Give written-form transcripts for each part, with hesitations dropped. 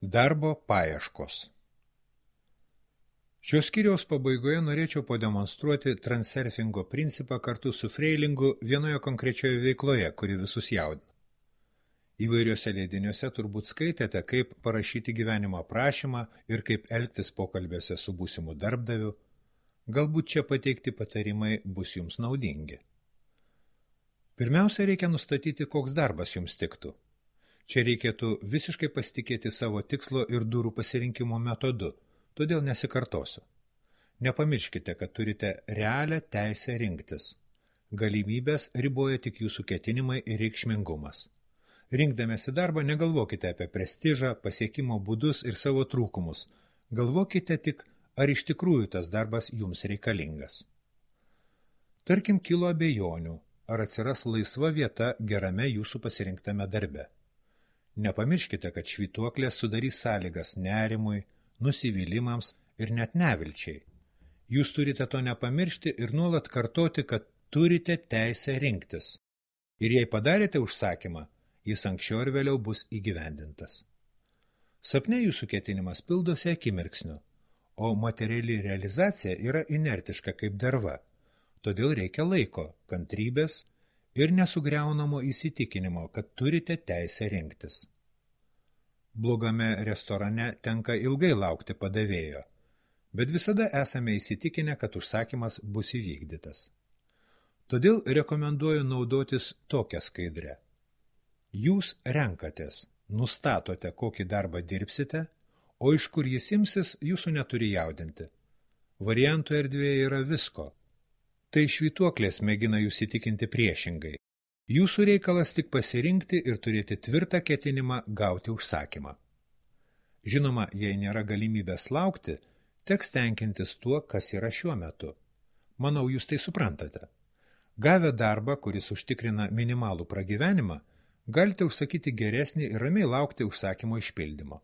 Darbo paieškos. Šios skyriaus pabaigoje norėčiau pademonstruoti transurfingo principą kartu su freilingu vienoje konkrečioje veikloje, kuri visus jaudina. Įvairiuose leidiniuose turbūt skaitėte, kaip parašyti gyvenimo aprašymą ir kaip elgtis pokalbėse su būsimu darbdaviu. Galbūt čia pateikti patarimai bus jums naudingi. Pirmiausia, reikia nustatyti, koks darbas jums tiktų. Čia reikėtų visiškai pasitikėti savo tikslo ir durų pasirinkimo metodu, todėl nesikartosiu. Nepamirškite, kad turite realią teisę rinktis. Galimybės riboja tik jūsų ketinimai ir reikšmingumas. Rinkdamėsi darbą negalvokite apie prestižą, pasiekimo būdus ir savo trūkumus. Galvokite tik, ar iš tikrųjų tas darbas jums reikalingas. Tarkim, kilo abejonių, ar atsiras laisva vieta gerame jūsų pasirinktame darbe. Nepamirškite, kad švytuoklės sudarys sąlygas nerimui, nusivylimams ir net nevilčiai. Jūs turite to nepamiršti ir nuolat kartoti, kad turite teisę rinktis. Ir jei padarėte užsakymą, jis anksčiau ir vėliau bus įgyvendintas. Sapne jūsų ketinimas pildosi akimirksniu, o materiali realizacija yra inertiška kaip derva, todėl reikia laiko, kantrybės ir nesugriaunamo įsitikinimo, kad turite teisę rinktis. Blogame restorane tenka ilgai laukti padavėjo, bet visada esame įsitikinę, kad užsakymas bus įvykdytas. Todėl rekomenduoju naudotis tokią skaidrę. Jūs renkatės, nustatote, kokį darbą dirbsite, o iš kur jis imsis, jūsų neturi jaudinti. Variantų erdvėje yra visko. Tai švytuoklės mėgina jūs įtikinti priešingai. Jūsų reikalas tik pasirinkti ir turėti tvirtą ketinimą gauti užsakymą. Žinoma, jei nėra galimybės laukti, teks tenkintis tuo, kas yra šiuo metu. Manau, jūs tai suprantate. Gavę darbą, kuris užtikrina minimalų pragyvenimą, galite užsakyti geresnį ir ramiai laukti užsakymo išpildymo.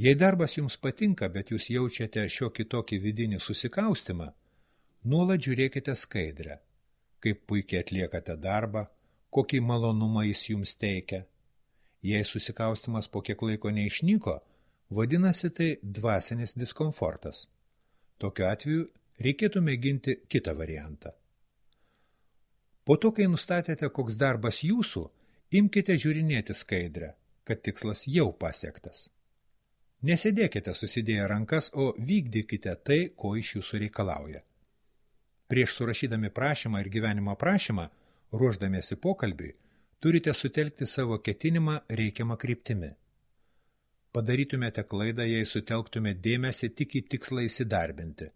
Jei darbas jums patinka, bet jūs jaučiate šiokį tokį vidinį susikaustimą, nuolat žiūrėkite skaidrę, kaip puikiai atliekate darbą, kokį malonumą jis jums teikia. Jei susikaustimas po kiek laiko neišnyko, vadinasi tai dvasinis diskomfortas. Tokiu atveju reikėtų mėginti kitą variantą. Po to, kai nustatėte, koks darbas jūsų, imkite žiūrinėti skaidrę, kad tikslas jau pasiektas. Nesėdėkite susidėję rankas, o vykdykite tai, ko iš jūsų reikalauja. Prieš surašydami prašymą ir gyvenimo aprašymą, ruošdamiesi pokalbiui, turite sutelkti savo ketinimą reikiamą kryptimi. Padarytumėte klaidą, jei sutelktumėte dėmesį tik į tikslą įsidarbinti.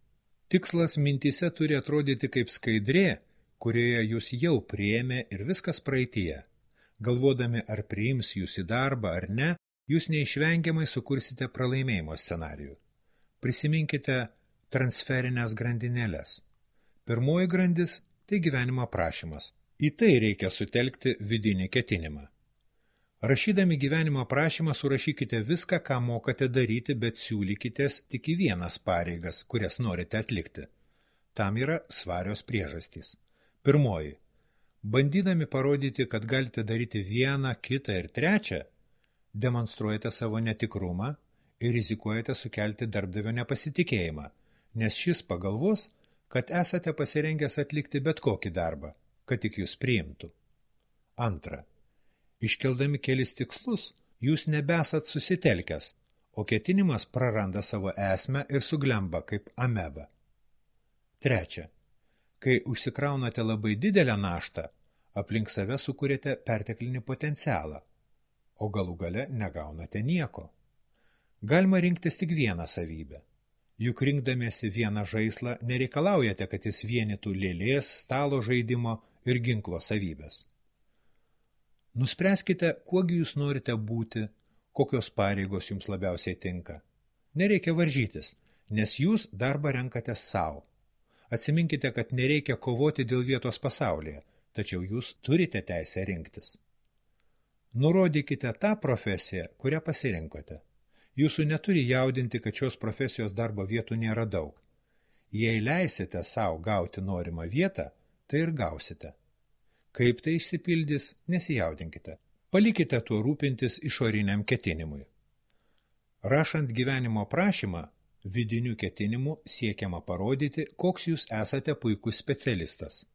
Tikslas mintyse turi atrodyti kaip skaidrė, kurioje jūs jau priėmė ir viskas praeityje. Galvodami, ar priims jūs į darbą ar ne, jūs neišvengiamai sukursite pralaimėjimo scenarijų. Prisiminkite transferinės grandinėles. Pirmoji grandis – tai gyvenimo aprašymas. Į tai reikia sutelkti vidinį ketinimą. Rašydami gyvenimo aprašymą surašykite viską, ką mokate daryti, bet siūlykitės tik į vienas pareigas, kurias norite atlikti. Tam yra svarios priežastys. Pirmoji. Bandydami parodyti, kad galite daryti vieną, kitą ir trečią, demonstruojate savo netikrumą ir rizikuojate sukelti darbdavio nepasitikėjimą, nes šis pagalvos, kad esate pasirengęs atlikti bet kokį darbą, kad tik jūs priimtų. Antra. Iškeldami kelis tikslus, jūs nebesat susitelkęs, o ketinimas praranda savo esmę ir suglemba kaip ameba. Trečia. Kai užsikraunate labai didelę naštą, aplink save sukūrėte perteklinį potencialą, o galų gale negaunate nieko. Galima rinktis tik vieną savybę. Juk rinkdamiesi vieną žaislą nereikalaujate, kad jis vienytų lėlės, stalo žaidimo ir ginklo savybės. Nuspręskite, kuogi jūs norite būti, kokios pareigos jums labiausiai tinka. Nereikia varžytis, nes jūs darbą renkate savo. Atsiminkite, kad nereikia kovoti dėl vietos pasaulyje, tačiau jūs turite teisę rinktis. Nurodykite tą profesiją, kurią pasirinkote. Jūsų neturi jaudinti, kad šios profesijos darbo vietų nėra daug. Jei leisite savo gauti norimą vietą, tai ir gausite. Kaip tai išsipildys, nesijaudinkite. Palikite tuo rūpintis išoriniam ketinimui. Rašant gyvenimo aprašymą, vidiniu ketinimu siekiama parodyti, koks jūs esate puikus specialistas,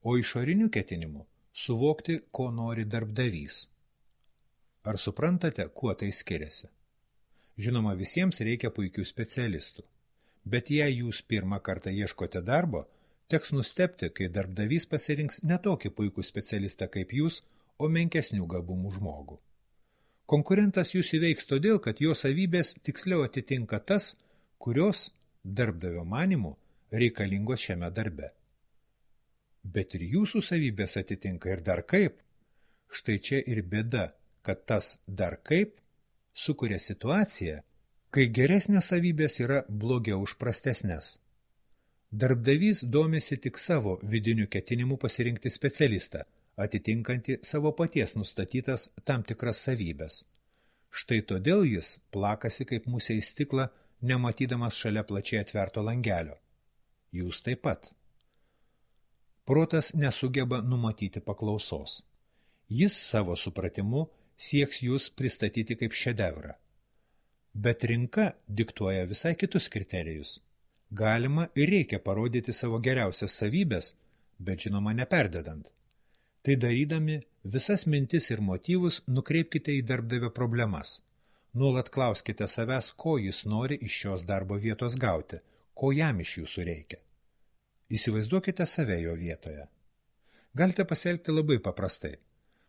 o išoriniu ketinimu suvokti, ko nori darbdavys. Ar suprantate, kuo tai skiriasi? Žinoma, visiems reikia puikių specialistų, bet jei jūs pirmą kartą ieškote darbo, teks nustebti, kai darbdavys pasirinks ne tokį puikų specialistą kaip jūs, o menkesnių gabumų žmogų. Konkurentas jūs įveiks todėl, kad jo savybės tiksliau atitinka tas, kurios, darbdavio manymu, reikalingos šiame darbe. Bet ir jūsų savybės atitinka ir dar kaip. Štai čia ir bėda, kad tas dar kaip sukuria situaciją, kai geresnės savybės yra blogiau už prastesnes. Darbdavys domisi tik savo vidiniu ketinimu pasirinkti specialistą, atitinkantį savo paties nustatytas tam tikras savybės. Štai todėl jis plakasi kaip musė į stiklą, nematydamas šalia plačiai atverto langelio. Jūs taip pat. Protas nesugeba numatyti paklausos. Jis savo supratimu sieks jūs pristatyti kaip šedevrą. Bet rinka diktuoja visai kitus kriterijus. Galima ir reikia parodyti savo geriausias savybės, bet žinoma neperdedant. Tai darydami, visas mintis ir motyvus nukreipkite į darbdavio problemas. Nuolat klauskite savęs, ko jis nori iš šios darbo vietos gauti, ko jam iš jūsų reikia. Įsivaizduokite save jo vietoje. Galite pasielgti labai paprastai.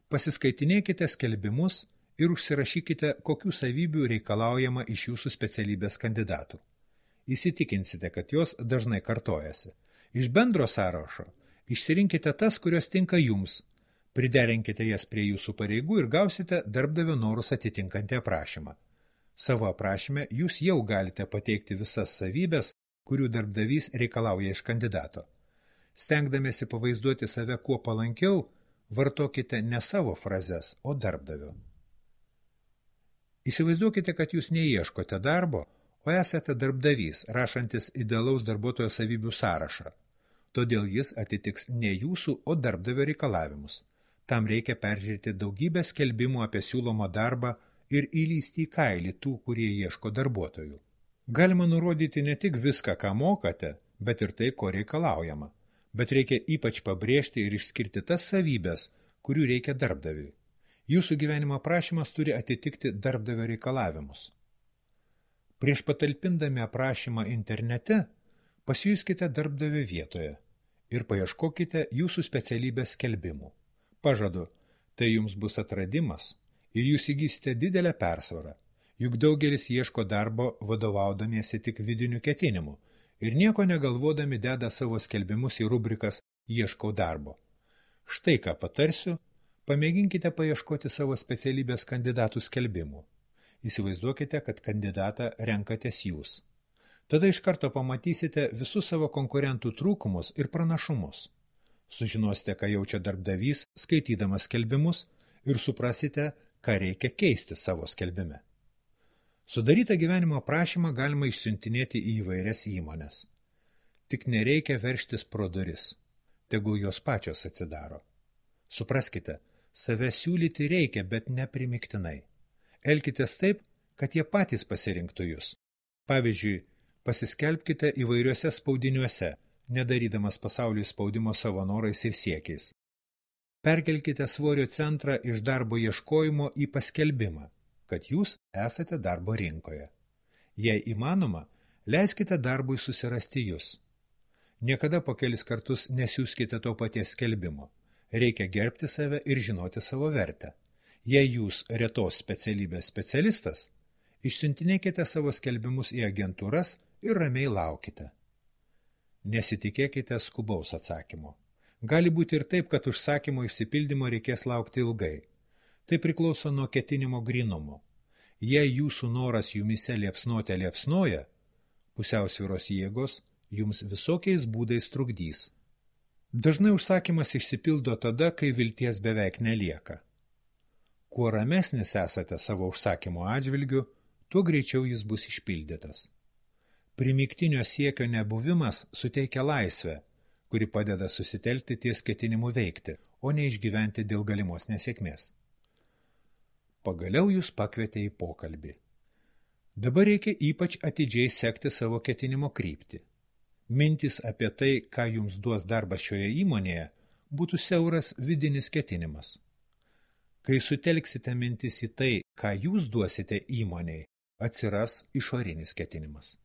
Pasiskaitinėkite skelbimus ir užsirašykite, kokių savybių reikalaujama iš jūsų specialybės kandidatų. Įsitikinsite, kad jos dažnai kartojasi. Iš bendro sąrašo išsirinkite tas, kurios tinka jums, priderinkite jas prie jūsų pareigų ir gausite darbdavio norus atitinkantį aprašymą. Savo aprašyme jūs jau galite pateikti visas savybės, kurių darbdavys reikalauja iš kandidato. Stengdamiesi pavaizduoti save kuo palankiau, vartokite ne savo frazes, o darbdavio. Įsivaizduokite, kad jūs neieškote darbo, o esate darbdavys, rašantis idealaus darbuotojo savybių sąrašą. Todėl jis atitiks ne jūsų, o darbdavio reikalavimus. Tam reikia peržiūrėti daugybę skelbimų apie siūlomą darbą ir įlysti į kailį tų, kurie ieško darbuotojų. Galima nurodyti ne tik viską, ką mokate, bet ir tai, ko reikalaujama. Bet reikia ypač pabrėžti ir išskirti tas savybės, kurių reikia darbdaviui. Jūsų gyvenimo aprašymas turi atitikti darbdavio reikalavimus. Prieš patalpindami aprašymą internete, pasijuskite darbdavio vietoje ir paieškokite jūsų specialybės skelbimų. Pažadu, tai jums bus atradimas ir jūs įgysite didelę persvarą, juk daugelis ieško darbo vadovaudamiesi tik vidiniu ketinimu ir nieko negalvodami deda savo skelbimus į rubrikas ieškau darbo. Štai ką patarsiu, pamėginkite paieškoti savo specialybės kandidatų skelbimų. Įsivaizduokite, kad kandidatą renkatės jūs. Tada iš karto pamatysite visus savo konkurentų trūkumus ir pranašumus. Sužinosite, ką jaučia darbdavys, skaitydamas skelbimus ir suprasite, ką reikia keisti savo skelbime. Sudarytą gyvenimo aprašymą galima išsiuntinėti į įvairias įmones. Tik nereikia veržtis pro duris, tegul jos pačios atsidaro. Supraskite, save siūlyti reikia, bet neprimiktinai. Elkitės taip, kad jie patys pasirinktų jūs. Pavyzdžiui, pasiskelbkite įvairiuose spaudiniuose, nedarydamas pasauliui spaudimo savo norais ir siekiais. Perkelkite svorio centrą iš darbo ieškojimo į paskelbimą, kad jūs esate darbo rinkoje. Jei įmanoma, leiskite darbui susirasti jūs. Niekada po kelis kartus nesiųskite to paties skelbimo. Reikia gerbti save ir žinoti savo vertę. Jei jūs retos specialybės specialistas, išsiuntinėkite savo skelbimus į agentūras ir ramiai laukite. Nesitikėkite skubaus atsakymo. Gali būti ir taip, kad užsakymo išsipildymo reikės laukti ilgai. Tai priklauso nuo ketinimo grynumo. Jei jūsų noras jumise liepsnoja, pusiausvyros jėgos jums visokiais būdais trukdys. Dažnai užsakymas išsipildo tada, kai vilties beveik nelieka. Kuo ramesnis esate savo užsakymo atžvilgiu, tuo greičiau jis bus išpildytas. Primygtinio siekio nebuvimas suteikia laisvę, kuri padeda susitelkti ties ketinimu veikti, o ne išgyventi dėl galimos nesėkmės. Pagaliau jūs pakvietė į pokalbį. Dabar reikia ypač atidžiai sekti savo ketinimo kryptį. Mintis apie tai, ką jums duos darbas šioje įmonėje, būtų siauras vidinis ketinimas. Kai sutelksite mintis į tai, ką jūs duosite įmonei, atsiras išorinis ketinimas.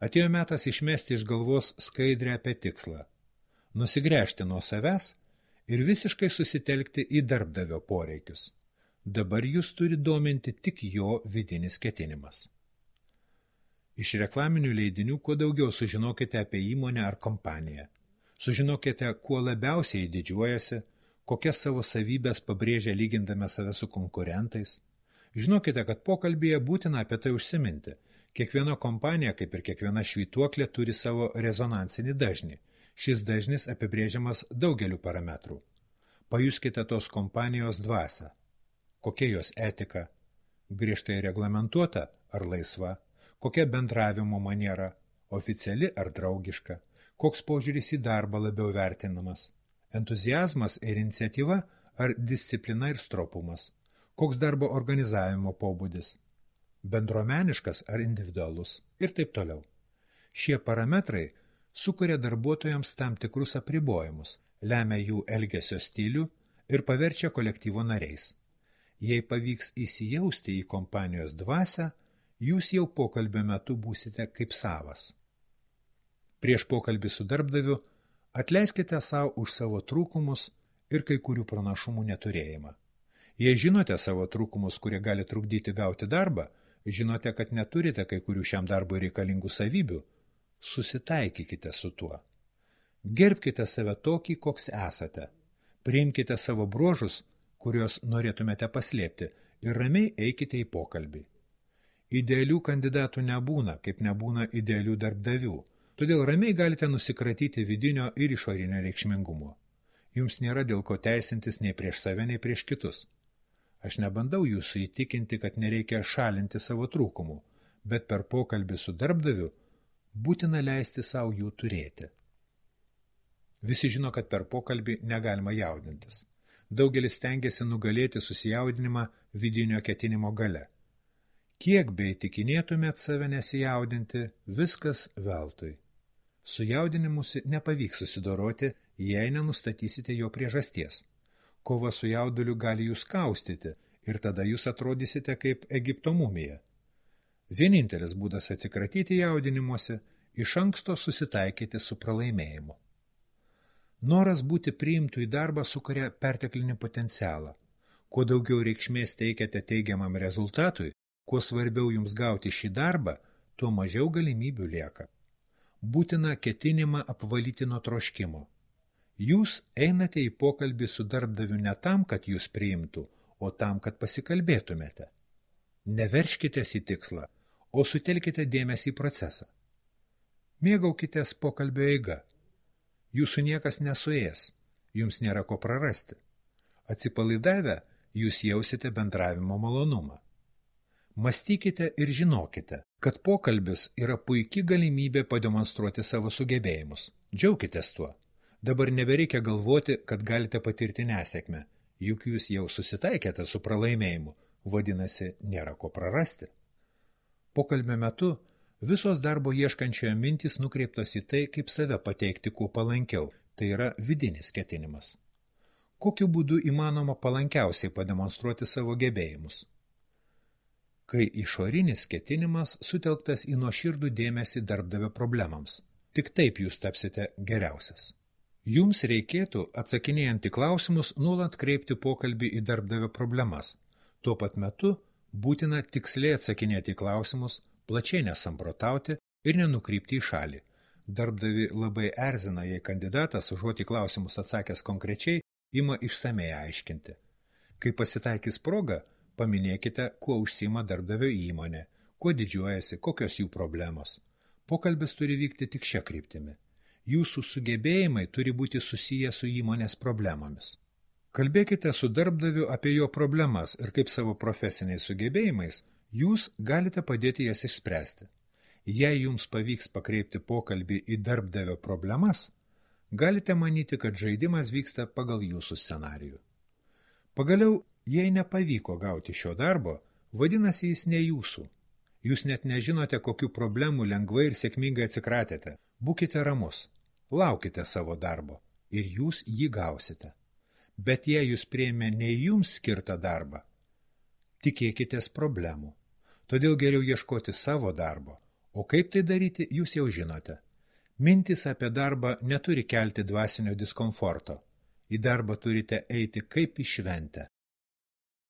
Atėjo metas išmesti iš galvos skaidrę apie tikslą, nusigręžti nuo savęs ir visiškai susitelkti į darbdavio poreikius. Dabar jūs turi dominti tik jo vidinis ketinimas. Iš reklaminių leidinių kuo daugiau sužinokite apie įmonę ar kompaniją. Sužinokite, kuo labiausiai didžiuojasi, kokias savo savybės pabrėžia lygindami save su konkurentais. Žinokite, kad pokalbyje būtina apie tai užsiminti. Kiekviena kompanija, kaip ir kiekviena švytuoklė, turi savo rezonansinį dažnį. Šis dažnis apibrėžiamas daugeliu parametrų. Pajuskite tos kompanijos dvasią. Kokia jos etika? Griežtai reglamentuota ar laisva? Kokia bendravimo maniera? Oficiali ar draugiška? Koks požiūris į darbą labiau vertinamas? Entuziazmas ir iniciatyva ar disciplina ir stropumas? Koks darbo organizavimo pobūdis? Bendruomeniškas ar individualus? Ir taip toliau. Šie parametrai sukuria darbuotojams tam tikrus apribojimus, lemia jų elgesio stilių ir paverčia kolektyvo nariais. Jei pavyks įsijausti į kompanijos dvasią, jūs jau pokalbio metu būsite kaip savas. Prieš pokalbį su darbdaviu atleiskite savo už savo trūkumus ir kai kurių pranašumų neturėjimą. Jei žinote savo trūkumus, kurie gali trukdyti gauti darbą, žinote, kad neturite kai kurių šiam darbui reikalingų savybių, susitaikykite su tuo. Gerbkite save tokį, koks esate. Priimkite savo bruožus, kuriuos norėtumėte paslėpti, ir ramiai eikite į pokalbį. Idealių kandidatų nebūna, kaip nebūna idealių darbdavių, todėl ramiai galite nusikratyti vidinio ir išorinio reikšmingumo. Jums nėra dėl ko teisintis nei prieš save, nei prieš kitus. Aš nebandau jūsų įtikinti, kad nereikia šalinti savo trūkumų, bet per pokalbį su darbdaviu būtina leisti savo jų turėti. Visi žino, kad per pokalbį negalima jaudintis. Daugelis stengiasi nugalėti susijaudinimą vidinio ketinimo gale. Kiek bei tikinėtumėt save nesijaudinti, viskas veltui. Su jaudinimusi nepavyks susidoroti, jei nenustatysite jo priežasties. Kova su jauduliu gali jūs kaustyti ir tada jūs atrodysite kaip Egipto mumija. Vienintelis būdas atsikratyti jaudinimuose – iš anksto susitaikyti su pralaimėjimu. Noras būti priimtų į darbą sukuria perteklinį potencialą. Kuo daugiau reikšmės teikiate teigiamam rezultatui, kuo svarbiau jums gauti šį darbą, tuo mažiau galimybių lieka. Būtina ketinimą apvalyti nuo troškimo. Jūs einate į pokalbį su darbdaviu ne tam, kad jūs priimtų, o tam, kad pasikalbėtumėte. Neverškitės į tikslą, o sutelkite dėmesį į procesą. Mėgaukitės pokalbio eiga. Jūsų niekas nesuės, jums nėra ko prarasti. Atsipalaidavę, jūs jausite bendravimo malonumą. Mąstykite ir žinokite, kad pokalbis yra puiki galimybė pademonstruoti savo sugebėjimus. Džiaukitės tuo. Dabar nebereikia galvoti, kad galite patirti nesėkmę, juk jūs jau susitaikėte su pralaimėjimu, vadinasi, nėra ko prarasti. Pokalbio metu visos darbo ieškančioje mintys nukreiptos į tai, kaip save pateikti kuo palankiau, tai yra vidinis ketinimas. Kokiu būdu įmanoma palankiausiai pademonstruoti savo gebėjimus? Kai išorinis ketinimas sutelktas į nuoširdų dėmesį darbdavio problemams, tik taip jūs tapsite geriausias. Jums reikėtų, atsakinėjant į klausimus, nuolat kreipti pokalbį į darbdavio problemas. Tuo pat metu būtina tiksliai atsakinėti į klausimus, plačiai nesamprotauti ir nenukrypti į šalį. Darbdavi labai erzina, jei kandidatas, užuot į klausimus atsakęs konkrečiai, ima išsamei aiškinti. Kai pasitaikys proga, paminėkite, kuo užsiima darbdavio įmonė, kuo didžiuojasi, kokios jų problemos. Pokalbis turi vykti tik šia kryptimi. Jūsų sugebėjimai turi būti susiję su įmonės problemomis. Kalbėkite su darbdaviu apie jo problemas ir kaip savo profesiniais sugebėjimais jūs galite padėti jas išspręsti. Jei jums pavyks pakreipti pokalbį į darbdavio problemas, galite manyti, kad žaidimas vyksta pagal jūsų scenarijų. Pagaliau, jei nepavyko gauti šio darbo, vadinasi jis ne jūsų. Jūs net nežinote, kokių problemų lengvai ir sėkmingai atsikratėte. Būkite ramus, laukite savo darbo ir jūs jį gausite. Bet jei jūs priėmė ne jums skirtą darbą, tikėkitės problemų. Todėl geriau ieškoti savo darbo. O kaip tai daryti, jūs jau žinote. Mintys apie darbą neturi kelti dvasinio diskomforto. Į darbą turite eiti kaip į šventę.